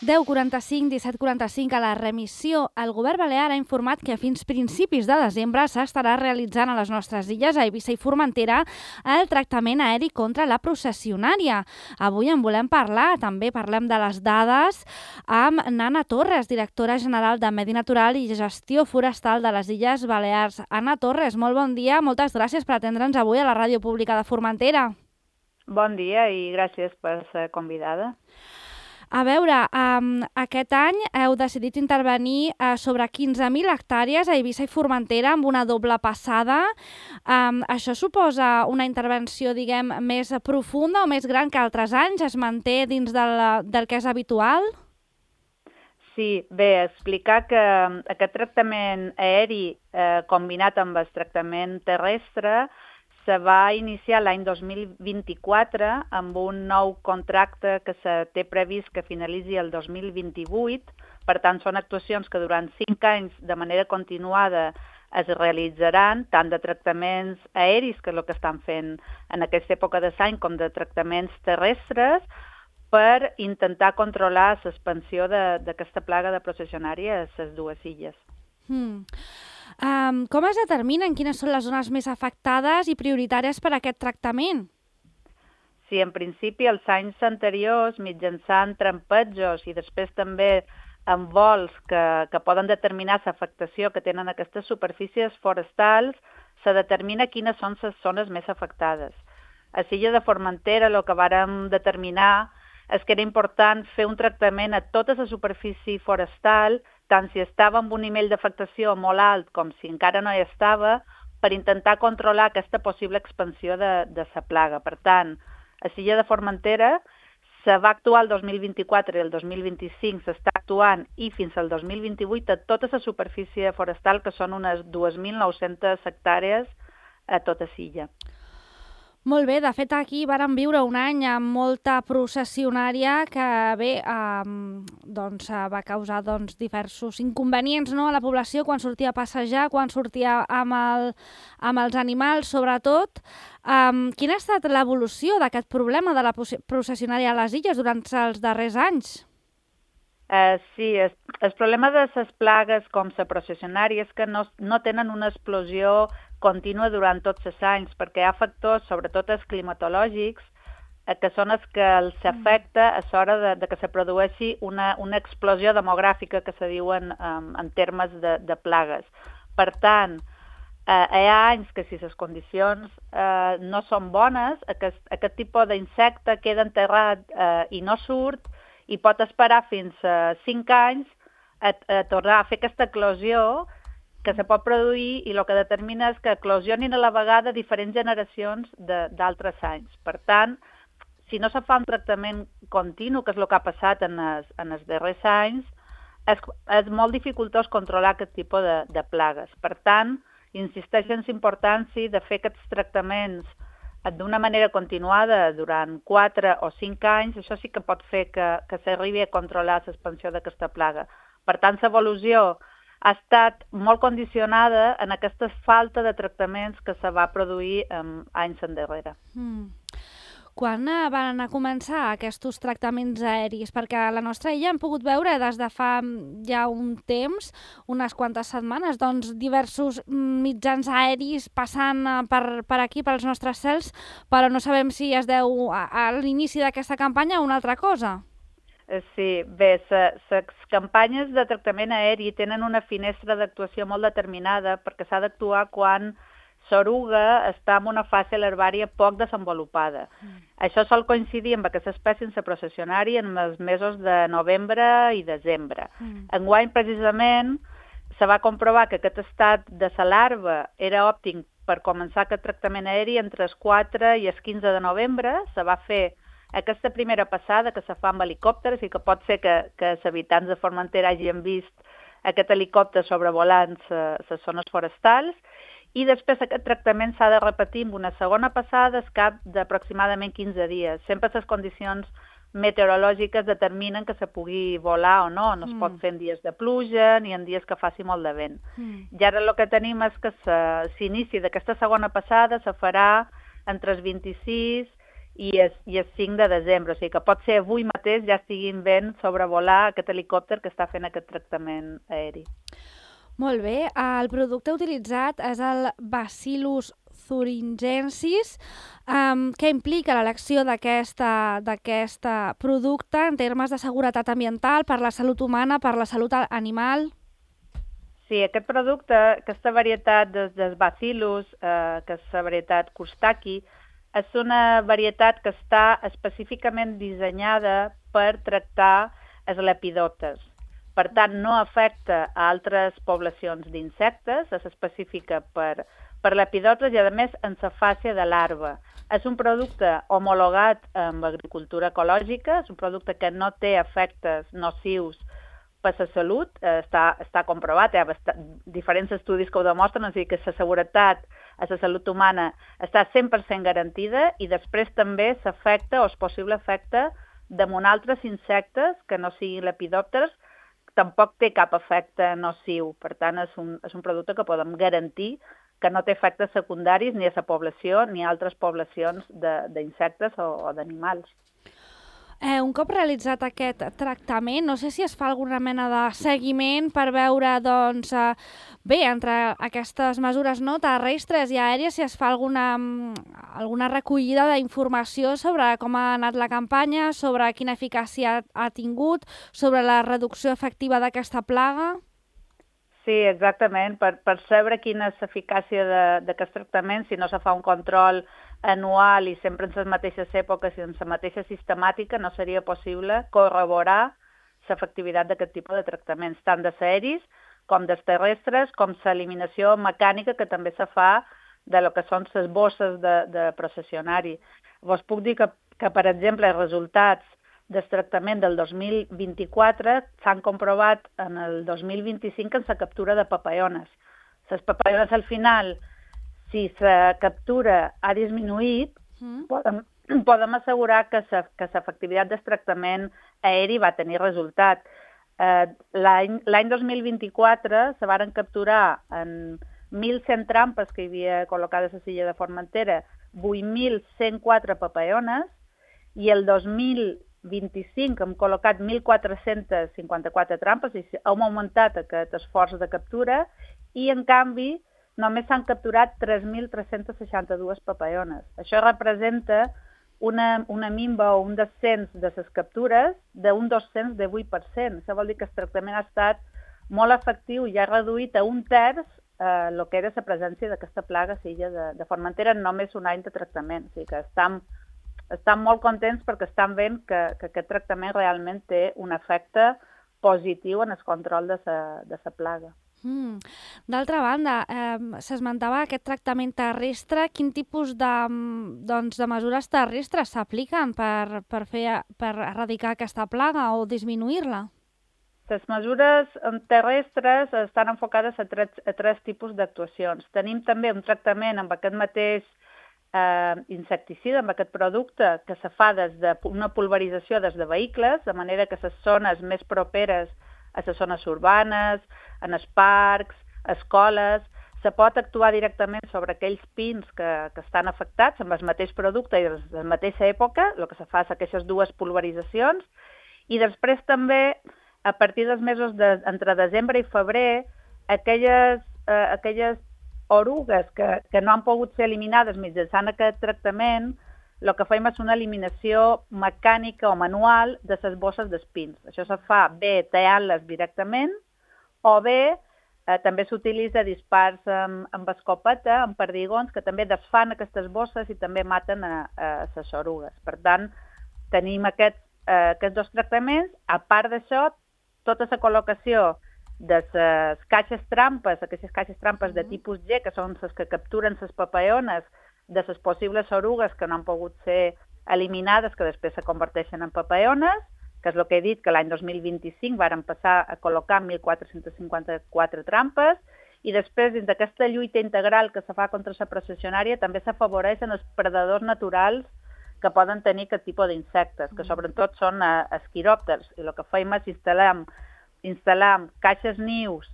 10:45, 17:45 a la remissió. El govern balear ha informat que fins principis de desembre s'estarà realitzant a les nostres illes, a Eivissa i Formentera, el tractament aeri contra la processionària. Avui en volem parlar, també parlem de les dades amb Anna Torres, directora general de Medi Natural i Gestió Forestal de les Illes Balears. Anna Torres, molt bon dia, moltes gràcies per atendre'ns avui a la Ràdio Pública de Formentera. Bon dia i gràcies per ser convidada. A veure, aquest any heu decidit intervenir sobre 15.000 hectàrees a Eivissa i Formentera amb una doble passada. Això suposa una intervenció, diguem, més profunda o més gran que altres anys? Es manté dins del que és habitual? Sí, bé, explicar que aquest tractament aeri combinat amb el tractament terrestre se va iniciar l'any 2024 amb un nou contracte que se té previst que finalitzi el 2028. Per tant, són actuacions que durant 5 anys de manera continuada es realitzaran, tant de tractaments aeris, que és el que estan fent en aquesta època de l'any, com de tractaments terrestres, per intentar controlar l'expansió d'aquesta plaga de processionària a les dues illes. Com es determinen quines són les zones més afectades i prioritàries per a aquest tractament? Sí, en principi, els anys anteriors, mitjançant trampejos i després també amb vols que poden determinar l'afectació que tenen aquestes superfícies forestals, se determina quines són les zones més afectades. A l'illa de Formentera el que vàrem determinar és que era important fer un tractament a tota la superfície forestal, tant si estava amb un nivell d'afectació molt alt com si encara no hi estava, per intentar controlar aquesta possible expansió de la plaga. Per tant, a l'illa de Formentera se va actuar el 2024 i el 2025 s'està actuant i fins al 2028 a tota la superfície forestal, que són unes 2.900 hectàrees a tota l'illa. Molt bé, de fet aquí vàrem viure un any amb molta processionària que bé, va causar diversos inconvenients, no, a la població quan sortia a passejar, quan sortia amb els animals, sobretot. Quina ha estat l'evolució d'aquest problema de la processionària a les illes durant els darrers anys? Sí, el problema de les plagues com la processionària és que no tenen una explosió contínua durant tots els anys, perquè hi ha factors, sobretot els climatològics, que són els que els afecta a l'hora de que se produeixi una explosió demogràfica, que se diuen en termes de plagues. Per tant, hi ha anys que si les condicions no són bones, aquest tipus d'insecte queda enterrat i no surt, i pot esperar fins a 5 anys a tornar a fer aquesta eclosió que se pot produir, i el que determina és que eclosionin a la vegada diferents generacions d'altres anys. Per tant, si no se fa un tractament continu, que és el que ha passat en els darrers anys, és molt dificultós controlar aquest tipus de plagues. Per tant, insisteix en la importància de fer aquests tractaments d'una manera continuada durant 4 o 5 anys. Això sí que pot fer que s'arribi a controlar l'expansió d'aquesta plaga. Per tant, l'evolució ha estat molt condicionada en aquesta falta de tractaments que se va produir anys endarrere. Quan van començar aquests tractaments aeris? Perquè a la nostra illa hem pogut veure des de fa ja un temps, unes quantes setmanes, diversos mitjans aeris passant per aquí, pels nostres cels, però no sabem si es deu a l'inici d'aquesta campanya o una altra cosa. Sí, bé, les campanyes de tractament aeri tenen una finestra d'actuació molt determinada, perquè s'ha d'actuar quan l'oruga està en una fase larvària poc desenvolupada. Això sol coincidir amb aquesta espècie en la processionària en els mesos de novembre i desembre. Enguany, precisament, se va comprovar que aquest estat de la larva era òptim per començar aquest tractament aeri entre els 4 i els 15 de novembre. Se va fer aquesta primera passada, que se fa amb helicòpters, i que pot ser que els habitants de Formentera hagin vist aquest helicòpter sobrevolant les zones forestals, i després aquest tractament s'ha de repetir amb una segona passada al cap d'aproximadament 15 dies. Sempre les condicions meteorològiques determinen que se pugui volar o no. No es pot fer en dies de pluja ni en dies que faci molt de vent. I ara el que tenim és que l'inici d'aquesta segona passada se farà entre els 26 i és 5 de desembre, o sigui que pot ser avui mateix ja estiguin veient sobrevolar aquest helicòpter que està fent aquest tractament aeri. Molt bé, el producte utilitzat és el Bacillus thuringiensis. Què implica l'elecció d'aquest producte en termes de seguretat ambiental, per la salut humana, per la salut animal? Sí, aquest producte, aquesta varietat del Bacillus, que és la varietat Coustaki, és una varietat que està específicament dissenyada per tractar els lepidòpters. Per tant, no afecta a altres poblacions d'insectes, és específica per lepidòpters i, a més, en la fase de larva. És un producte homologat amb agricultura ecològica, és un producte que no té efectes nocius per la salut, està comprovat, hi ha diferents estudis que ho demostren, o sigui que la seguretat a la salut humana està 100% garantida i després també s'afecta o és possible efecte damunt altres insectes que no siguin lepidòpters, tampoc té cap efecte nociu. Per tant, és un producte que podem garantir que no té efectes secundaris ni a la població ni a altres poblacions d'insectes o d'animals. Un cop realitzat aquest tractament, no sé si es fa alguna mena de seguiment per veure, doncs, bé, entre aquestes mesures no terrestres i aèries, si es fa alguna recollida d'informació sobre com ha anat la campanya, sobre quina eficàcia ha tingut, sobre la reducció efectiva d'aquesta plaga. Sí, exactament. Per saber quina és l'eficàcia d'aquest tractament, si no se fa un control anual i sempre en les mateixes èpoques i en la mateixa sistemàtica, no seria possible corroborar l'efectivitat d'aquest tipus de tractaments, tant de aeris com dels terrestres, com l'eliminació mecànica que també se fa de lo que són les bosses de processionari. Vos puc dir que, per exemple, els resultats del tractament del 2024 s'han comprovat en el 2025 en la captura de papaiones. Les papaiones al final, si la captura ha disminuït, podem assegurar que l'efectivitat del tractament aeri va tenir resultat. L'any 2024 se varen capturar en 1.100 trampes que hi havia col·locades a l'illa de Formentera, 8.104 papaiones, i el 2025 hem col·locat 1.454 trampes, i hem augmentat aquest esforç de captura, i en canvi només s'han capturat 3.362 papaiones. Això representa una minva o un descens de les captures d'un descens de 8%. Això vol dir que el tractament ha estat molt efectiu i ha reduït a un terç el que era la presència d'aquesta plaga a l'illa de Formentera en només un any de tractament. O sigui que estan molt contents perquè estan veient que aquest tractament realment té un efecte positiu en el control de la plaga. D'altra banda, s'esmentava aquest tractament terrestre. Quin tipus de mesures terrestres s'apliquen per erradicar aquesta plaga o disminuir-la? Les mesures terrestres estan enfocades a tres tipus d'actuacions. Tenim també un tractament amb aquest mateix insecticida, amb aquest producte, que se fa des d'una pulverització des de vehicles, de manera que les zones més properes a les zones urbanes, en els parcs, escoles, se pot actuar directament sobre aquells pins que estan afectats amb el mateix producte i de la mateixa època, el que se fa és aquestes dues pulveritzacions, i després també, a partir dels mesos entre desembre i febrer, aquelles orugues que no han pogut ser eliminades mitjançant aquest tractament, el que fem és una eliminació mecànica o manual de les bosses d'espins. Això se fa bé tallant-les directament o bé també s'utilitza dispars amb escopeta, amb perdigons, que també desfan aquestes bosses i també maten a les orugues. Per tant, tenim aquests dos tractaments. A part d'això, tota la col·locació de les caixes trampes, aquestes caixes trampes de tipus G, que són les que capturen les papaiones, de les possibles orugues que no han pogut ser eliminades, que després se converteixen en papaiones, que és el que he dit, que l'any 2025 varen passar a col·locar 1.454 trampes, i després, dins d'aquesta lluita integral que se fa contra la processionària, també s'afavoreixen els predadors naturals que poden tenir aquest tipus d'insectes, que sobretot són esquiròpters, i el que fem és instal·lar caixes nius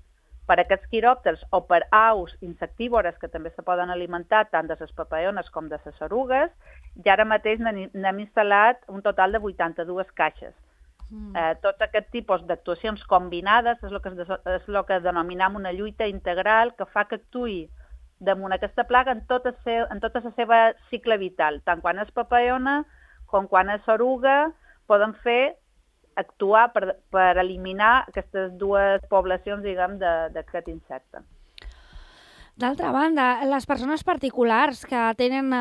per aquests quiròpters o per aus insectívores que també se poden alimentar tant de les papaiones com de les orugues, i ara mateix n'hem instal·lat un total de 82 caixes. Tots aquest tipus d'actuacions combinades és el que denominem una lluita integral que fa que actuï damunt aquesta plaga en tota la seva cicle vital, tant quan és papaiona com quan és oruga, poden actuar per eliminar aquestes dues poblacions, diguem, d'aquest insecte. D'altra banda, les persones particulars que tenen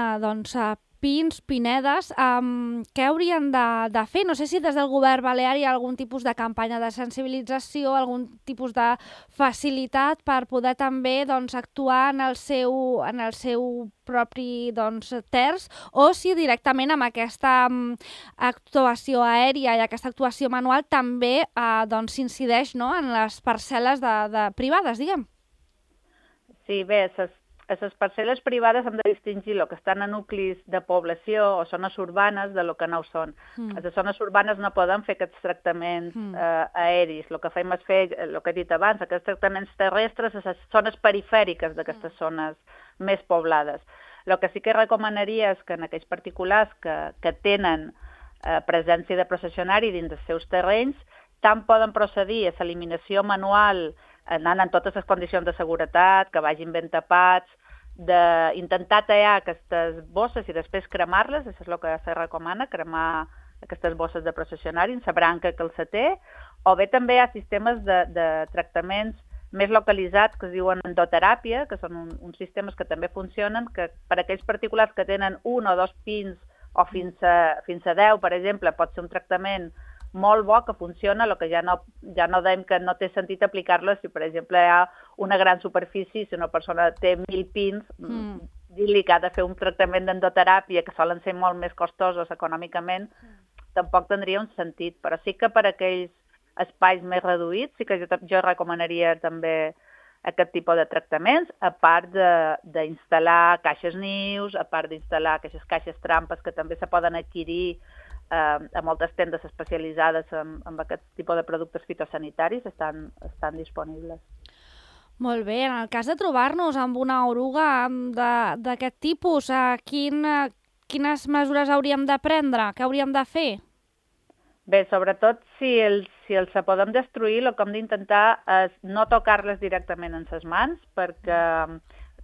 pins, pinedes, què haurien de fer? No sé si des del govern balear hi ha algun tipus de campanya de sensibilització, algun tipus de facilitat per poder també actuar en el seu propi terç, o si directament amb aquesta actuació aèria i aquesta actuació manual també s'incideix en les parcel·les privades, diguem. Sí, bé, les parcel·les privades hem de distingir el que estan a nuclis de població o zones urbanes de lo que no ho són. A les zones urbanes no podem fer aquests tractaments aèris. El que fem és fer, el que he dit abans, aquests tractaments terrestres a les zones perifèriques d'aquestes zones més poblades. El que sí que recomanaria és que en aquells particulars que tenen presència de processionari dins dels seus terrenys, tant poden procedir a l'eliminació manual anant en totes les condicions de seguretat, que vagin ben tapats, d'intentar tallar aquestes bosses i després cremar-les, això és el que se recomana, cremar aquestes bosses de processionari en la branca que els té, o bé també hi ha sistemes de tractaments més localitzats que es diuen endoteràpia, que són uns sistemes que també funcionen, que per aquells particulars que tenen un o dos pins o fins a 10, per exemple, pot ser un tractament molt bo que funciona, el que ja no dèiem que no té sentit aplicar-lo si, per exemple, hi ha una gran superfície, si una persona té 1.000 pins, dir-li que ha de fer un tractament d'endoteràpia, que solen ser molt més costosos econòmicament, tampoc tindria un sentit. Però sí que per aquells espais més reduïts sí que jo recomanaria també aquest tipus de tractaments, a part d'instal·lar caixes nius, a part d'instal·lar aquestes caixes trampes que també se poden adquirir a moltes tendes especialitzades en aquest tipus de productes fitosanitaris, estan disponibles. Molt bé, en el cas de trobar-nos amb una oruga d'aquest tipus, quines mesures hauríem de prendre? Què hauríem de fer? Bé, sobretot si els podem destruir, el que hem d'intentar és no tocar-les directament en les mans, perquè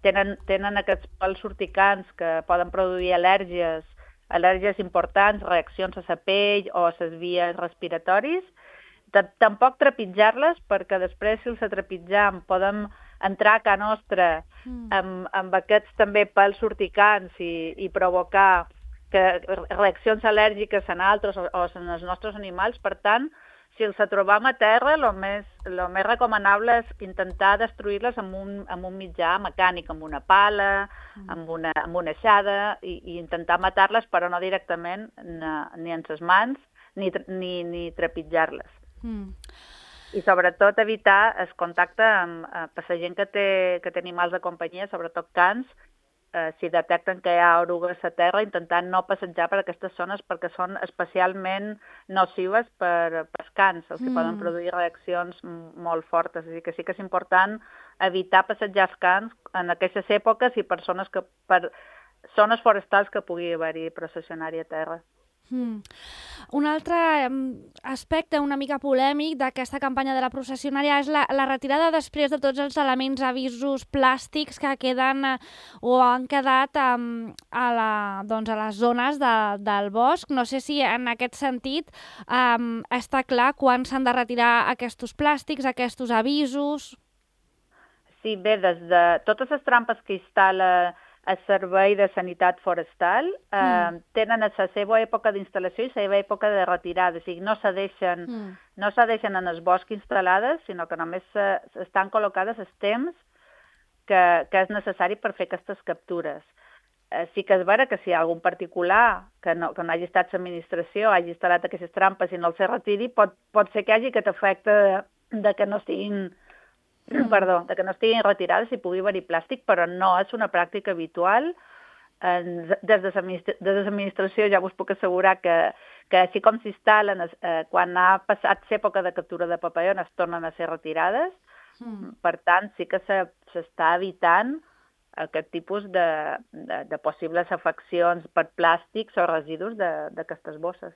tenen aquests pèls urticants que poden produir al·lèrgies importants, reaccions a la pell o a les vies respiratoris. Tampoc trepitjar-les, perquè després, si els trepitjam, podem entrar a casa nostra amb aquests també pèls urticants i provocar reaccions al·lèrgiques en altres o en els nostres animals. Per tant, si els trobam a terra, el més recomanable és intentar destruir-les amb un mitjà mecànic, amb una pala, amb una aixada, i intentar matar-les, però no directament ni en les mans ni trepitjar-les. I sobretot evitar el contacte amb la gent que té animals de companyia, sobretot cans. Si detecten que hi ha orugues a terra, intentant no passejar per aquestes zones perquè són especialment nocives per als cans, els que poden produir reaccions molt fortes. Així que sí que és important evitar passejar els cans en aquestes èpoques i per zones forestals que pugui haver-hi processionari a terra. Un altre aspecte una mica polèmic d'aquesta campanya de la processionària és la retirada després de tots els elements avisos plàstics que queden o han quedat a les zones del bosc. No sé si en aquest sentit està clar quan s'han de retirar aquests plàstics, aquests avisos. Sí, bé, des de totes les trampes que instal·la el Servei de Sanitat Forestal tenen la seva època d'instal·lació i la seva època de retirada. O sigui, no se deixen en el bosc instal·lades, sinó que només estan col·locades els temps que és necessari per fer aquestes captures. Sí que és vera que si hi ha algun particular que no hagi estat l'administració, hagi instal·lat aquestes trampes i no els retiri, pot ser que hi hagi aquest efecte de que no estiguin retirades i pugui haver-hi plàstic, però no és una pràctica habitual. Des de l'administració ja us puc assegurar que així com s'instal·len, quan ha passat l'època de captura de papaiones, tornen a ser retirades. Per tant, sí que s'està evitant aquest tipus de possibles afeccions per plàstics o residus d'aquestes bosses.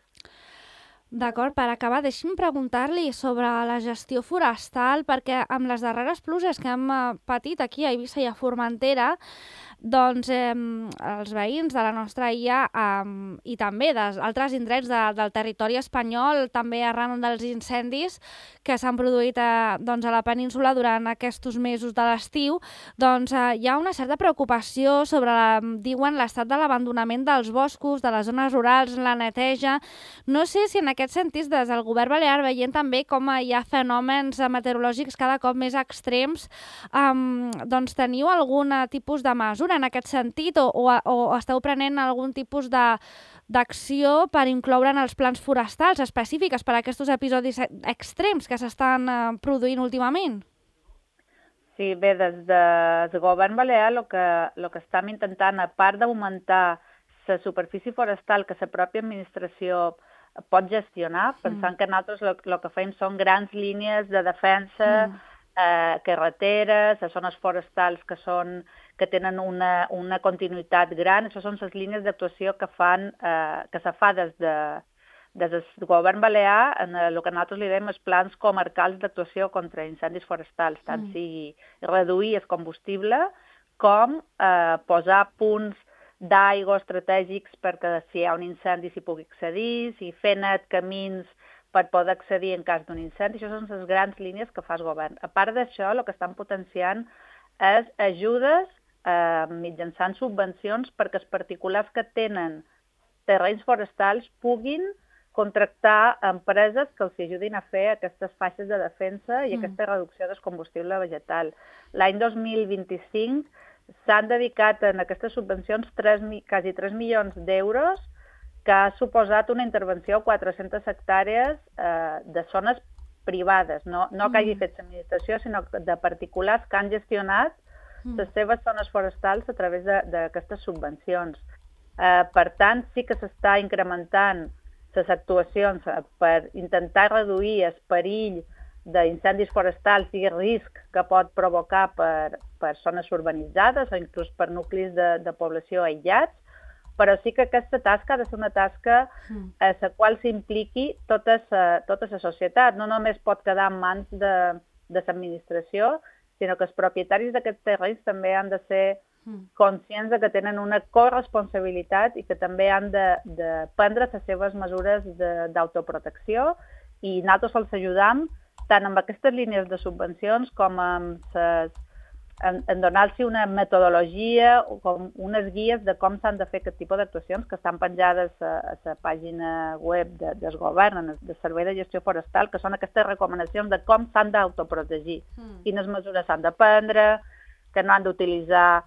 D'acord, per acabar, deixi'm preguntar-li sobre la gestió forestal, perquè amb les darreres pluges que hem patit aquí a Eivissa i a Formentera, doncs els veïns de la nostra illa i també d'altres indrets del territori espanyol, també arran dels incendis que s'han produït doncs, a la península durant aquests mesos de l'estiu, doncs hi ha una certa preocupació sobre, diuen, l'estat de l'abandonament dels boscos, de les zones rurals, la neteja. No sé si en aquest sentit, des del govern balear, veient també com hi ha fenòmens meteorològics cada cop més extrems, doncs teniu algun tipus de mesura en aquest sentit o esteu prenent algun tipus d'acció per incloure en els plans forestals específics per a aquests episodis extrems que s'estan produint últimament? Sí, bé, des del govern balear el que estem intentant, a part d'augmentar la superfície forestal que la pròpia administració pot gestionar, pensant que nosaltres el que fem són grans línies de defensa, carreteres, zones forestals que tenen una continuïtat gran. Això són les línies d'actuació que se fa des del govern balear en el que nosaltres li diem els plans comarcals d'actuació contra incendis forestals, tant sigui reduir el combustible com posar punts d'aigua estratègics perquè si hi ha un incendi s'hi pugui accedir, si fer net camins per poder accedir en cas d'un incendi. Això són les grans línies que fa el govern. A part d'això, el que estan potenciant és ajudes mitjançant subvencions perquè els particulars que tenen terrenys forestals puguin contractar empreses que els ajudin a fer aquestes faixes de defensa i aquesta reducció del combustible vegetal. L'any 2025 s'han dedicat en aquestes subvencions quasi 3 milions d'euros que ha suposat una intervenció a 400 hectàrees de zones privades, no que hagi fet l'administració, sinó de particulars que han gestionat les seves zones forestals a través d'aquestes subvencions. Per tant, sí que s'està incrementant les actuacions per intentar reduir el perill d'incendis forestals i el risc que pot provocar per zones urbanitzades o inclús per nuclis de població aïllats, però sí que aquesta tasca ha de ser una tasca a la qual s'impliqui tota la societat. No només pot quedar en mans de l'administració, sinó que els propietaris d'aquests terrenys també han de ser conscients que tenen una corresponsabilitat i que també han de prendre les seves mesures d'autoprotecció i nosaltres els ajudam tant amb aquestes línies de subvencions com en donar-los una metodologia o com unes guies de com s'han de fer aquest tipus d'actuacions que estan penjades a la pàgina web del govern, del Servei de Gestió Forestal, que són aquestes recomanacions de com s'han d'autoprotegir, quines mesures s'han de prendre, que no han d'utilitzar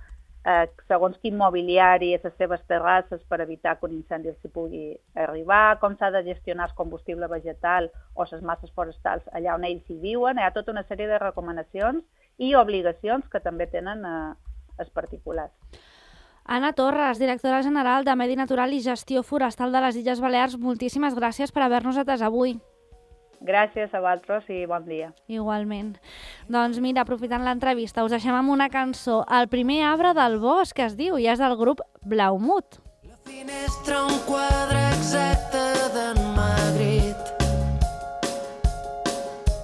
segons quin mobiliari a les seves terrasses per evitar que un incendi s'hi pugui arribar, com s'ha de gestionar el combustible vegetal o les masses forestals allà on ells hi viuen. Hi ha tota una sèrie de recomanacions i obligacions que també tenen els particulars. Anna Torres, directora general de Medi Natural i Gestió Forestal de les Illes Balears, moltíssimes gràcies per haver-nos atès avui. Gràcies a vosaltres i bon dia. Igualment. Doncs mira, aprofitant l'entrevista, us deixem amb una cançó, El primer arbre del bosc, que es diu, i és del grup Blaumut. La finestra, un quadre exacte d'en Magritte.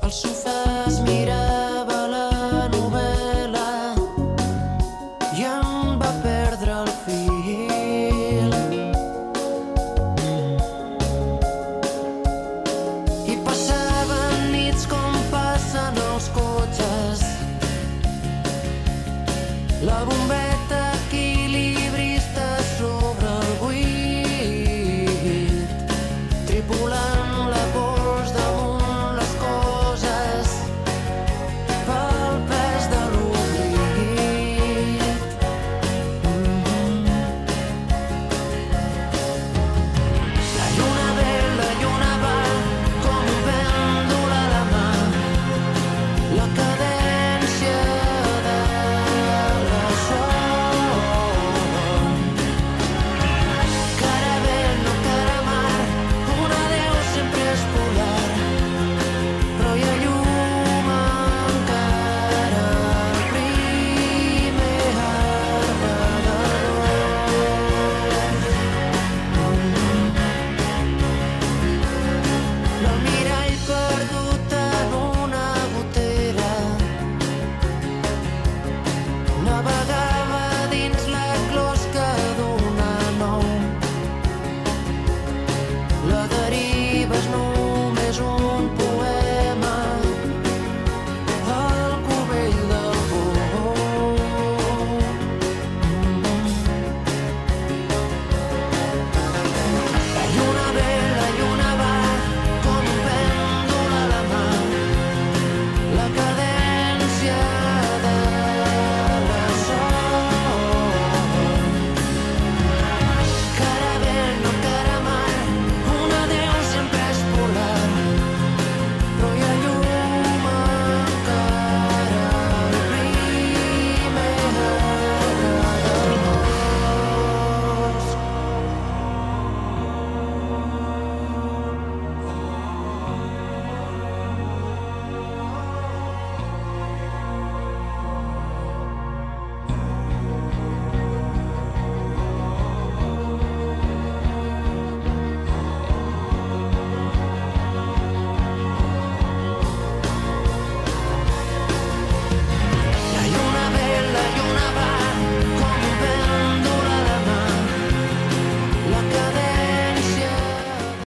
Al sofà es mirava la novel·la i em va perdre el fil. I passaven nits com passen